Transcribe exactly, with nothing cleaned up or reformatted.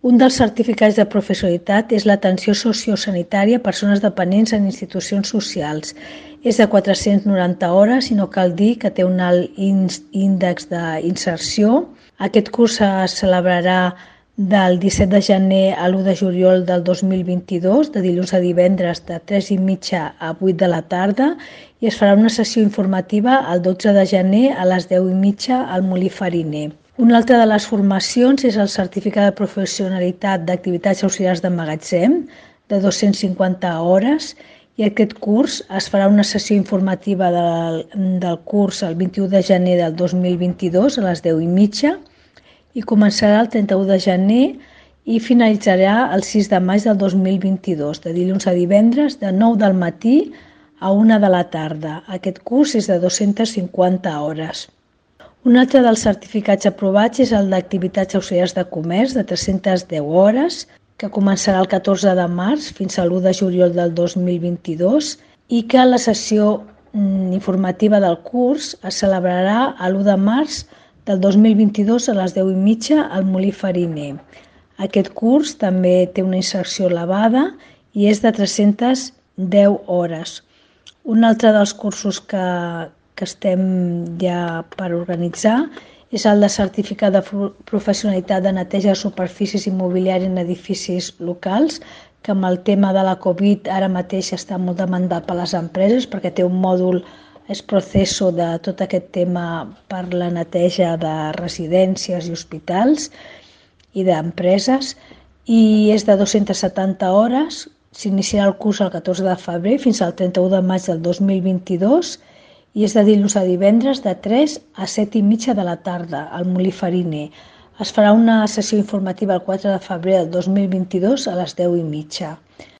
Un dels certificats de professionalitat és l'atenció sociosanitària a persones dependents en institucions socials. És de quatre-cents noranta hores i no cal dir que té un alt índex d'inserció. Aquest curs es celebrarà del disset de gener a l'u de juliol del dos mil vint-i-dos, de dilluns a divendres de tres i mitja a vuit de la tarda, i es farà una sessió informativa el dotze de gener a les deu i mitja al Molí Fariner. Una altra de les formacions és el certificat de professionalitat d'activitats auxiliars de magatzem, de dos-cents cinquanta hores, i aquest curs es farà una sessió informativa del, del curs el vint-i-u de gener del dos mil vint-i-dos a les deu i mitja, i començarà el trenta-u de gener i finalitzarà el sis de maig del dos mil vint-i-dos, de dilluns a divendres, de nou del matí a una de la tarda. Aquest curs és de dos-centes cinquanta hores. Un altre dels certificats aprovats és el d'activitats auxiliars de comerç, de tres-centes deu hores, que començarà el catorze de març fins a l'u de juliol del dos mil vint-i-dos i que la sessió informativa del curs es celebrarà l'u de març del dos mil vint-i-dos a les deu i mitja al Molí Fariner. Aquest curs també té una inserció elevada i és de tres-centes deu hores. Un altre dels cursos que, que estem ja per organitzar és el de certificat de professionalitat de neteja de superfícies immobiliàries en edificis locals, que amb el tema de la Covid ara mateix està molt demandat per les empreses perquè té un mòdul és proceso de tot aquest tema per la neteja de residències i hospitals i d'empreses, i és de dos-centes setanta hores. S'iniciarà el curs el catorze de febrer fins al trenta-u de maig del dos mil vint-i-dos i és de dilluns a divendres de tres a set i mitja de la tarda al Molí Fariner. Es farà una sessió informativa el quatre de febrer del dos mil vint-i-dos a les deu i mitja.